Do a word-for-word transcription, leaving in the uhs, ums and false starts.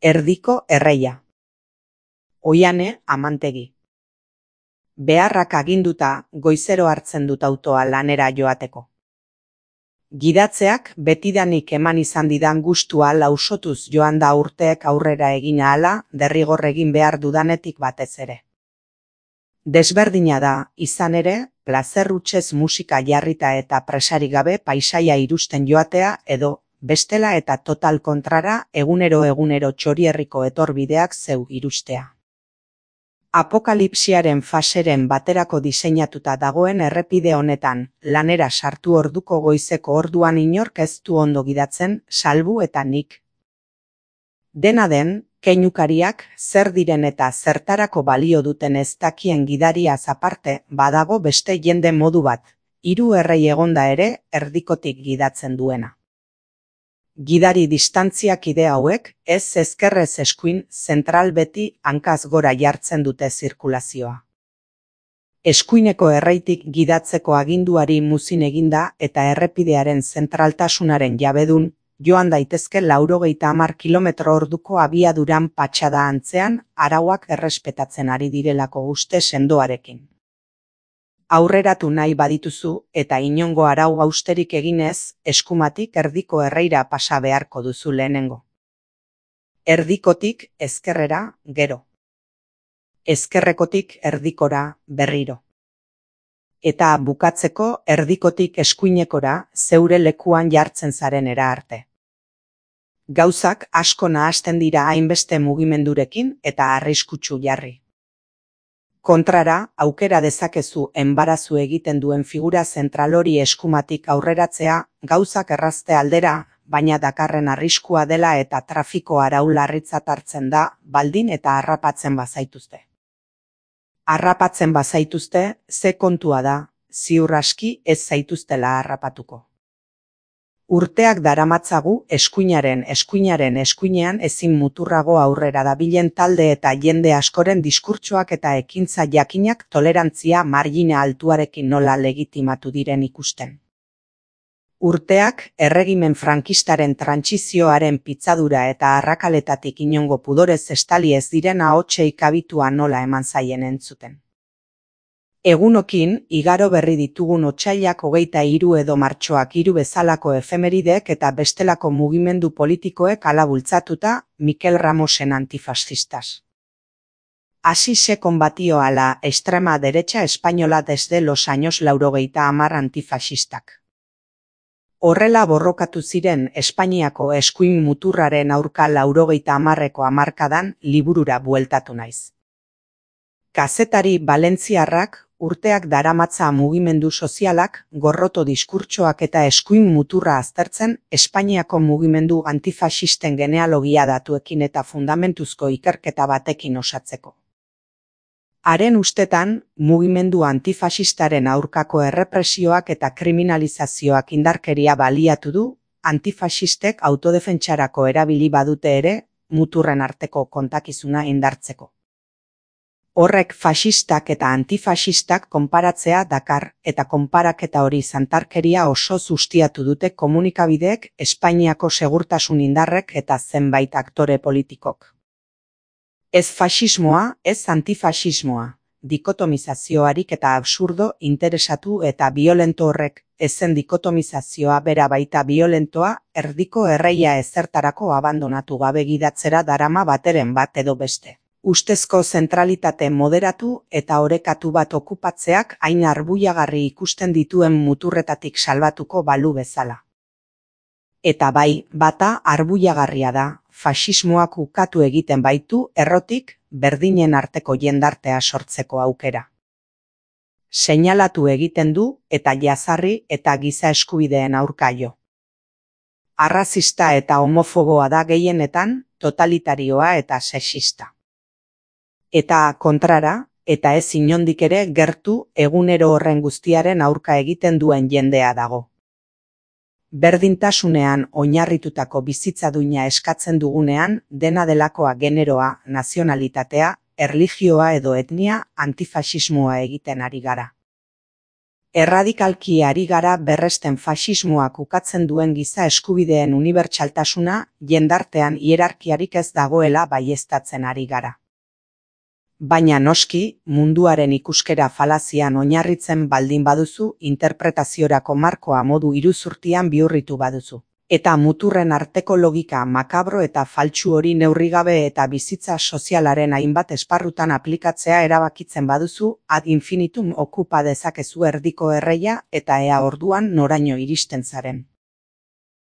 Erdiko erreia. Oiane Amantegi. Beharrak aginduta goizero hartzen dut autoa lanera joateko. Gidatzeak betidanik eman izan didan gustua lausotuz joan da urteek aurrera egin ahala derrigor egin behar dudanetik batez ere. Desberdina da, izan ere, plazer hutsez musika jarrita eta presarik gabe paisaia irusten joatea edo, bestela eta total kontrara egunero egunero txorierriko etorbideak zeu irustea. Apokalipsiaren faseren baterako diseinatuta dagoen errepide honetan, lanera sartu orduko goizeko orduan inork ez du ondo gidatzen, salbu eta nik. Dena den, keinukariak zer diren eta zertarako balio duten ez dakien gidariaz aparte badago beste jende modu bat, hiru errei egonda ere erdikotik gidatzen duena. Gidari distantziak ide hauek, ez ezkerrez eskuin, zentral beti hankaz gora jartzen dute zirkulazioa. Eskuineko erreitik gidatzeko aginduari muzin eginda eta errepidearen zentraltasunaren jabedun, joan daitezke laurogeita hamar kilometro orduko abiaduran patxada antzean, arauak errespetatzen ari direlako uste sendoarekin. Aurreratu nahi badituzu eta inongo arau hausterik eginez, eskumatik erdiko erreira pasa beharko duzu lehenengo. Erdikotik ezkerrera, gero. Ezkerrekotik erdikora, berriro. Eta bukatzeko erdikotik eskuinekora, zeure lekuan jartzen zarenera arte. Gauzak asko nahasten dira hainbeste mugimendurekin eta arriskutsu jarri. Kontrara, aukera dezakezu enbarazu egiten duen figura zentral hori eskumatik aurreratzea, gauzak errazte aldera, baina dakarren arriskua dela eta trafiko arau larritzat hartzen da, baldin eta harrapatzen bazaituzte. Harrapatzen bazaituzte, ze kontua da, ziur aski ez zaituztela harrapatuko. Urteak daramatzagu eskuinaren eskuinaren eskuinean ezin muturrago aurrera dabilen talde eta jende askoren diskurtsoak eta ekintza jakinak tolerantzia margina altuarekin nola legitimatu diren ikusten. Urteak erregimen frankistaren trantsizioaren pitzadura eta arrakaletatik inongo pudorez estali ez diren ahotsei kabitua nola eman zaien entzuten. Egunokin, igaro berri ditugun otsailak hogeita hiru edo martxoak hiru bezalako efemeridek eta bestelako mugimendu politikoek hala bultzatuta Mikel Ramosen antifascistas. Así se combatió a la extrema derecha española desde los años laurogeita hamar antifascistak. Horrela borrokatu ziren Espainiako eskuin muturraren aurka laurogeita hamarreko hamarkadan liburura bueltatu naiz. Kazetari valentziarrak, urteak daramatza mugimendu sozialak, gorroto diskurtsoak eta eskuin muturra aztertzen Espainiako mugimendu antifasisten genealogia datuekin eta fundamentuzko ikerketa batekin osatzeko. Haren ustetan, mugimendu antifasistaren aurkako errepresioak eta kriminalizazioak indarkeria baliatu du, antifasistek autodefentsarako erabili badute ere, muturren arteko kontakizuna indartzeko. Horrek fasistak eta antifasistak konparatzea dakar eta konparaketa hori zantarkeria oso sustiatu dute komunikabideek Espainiako segurtasun indarrek eta zenbait aktore politikok. Ez fasismoa, ez antifasismoa, dikotomizazioarik eta absurdo, interesatu eta biolento horrek, ezen dikotomizazioa bera baita biolentoa, erdiko erreia ezertarako abandonatu gabe gidatzera darama bateren bat edo beste. Ustezko zentralitate moderatu eta orekatu bat okupatzeak hain arbuiagarri ikusten dituen muturretatik salbatuko balu bezala. Eta bai, bata arbuiagarria da, fasismoak ukatu egiten baitu errotik berdinen arteko jendartea sortzeko aukera. Seinalatu egiten du eta jazarri eta giza eskubideen aurka jo. Arrazista eta homofoboa da gehienetan, totalitarioa eta sexista. Eta kontrara, eta ez inondik ere gertu egunero horren guztiaren aurka egiten duen jendea dago. Berdintasunean oinarritutako bizitza duina eskatzen dugunean, dena delakoa generoa, nazionalitatea, erlijioa edo etnia, antifasismoa egiten ari gara. Erradikalki ari gara berresten faxismoak ukatzen duen giza eskubideen unibertsaltasuna, jendartean hierarkiarik ez dagoela baieztatzen ari gara. Baina noski, munduaren ikuskera falazian oinarritzen baldin baduzu, interpretaziorako markoa modu iruzurtian bihurritu baduzu. Eta muturren arteko logika makabro eta faltsu hori neurrigabe eta bizitza sozialaren hainbat esparrutan aplikatzea erabakitzen baduzu, ad infinitum okupa dezakezu erdiko erreia eta ea orduan noraino iristen zaren.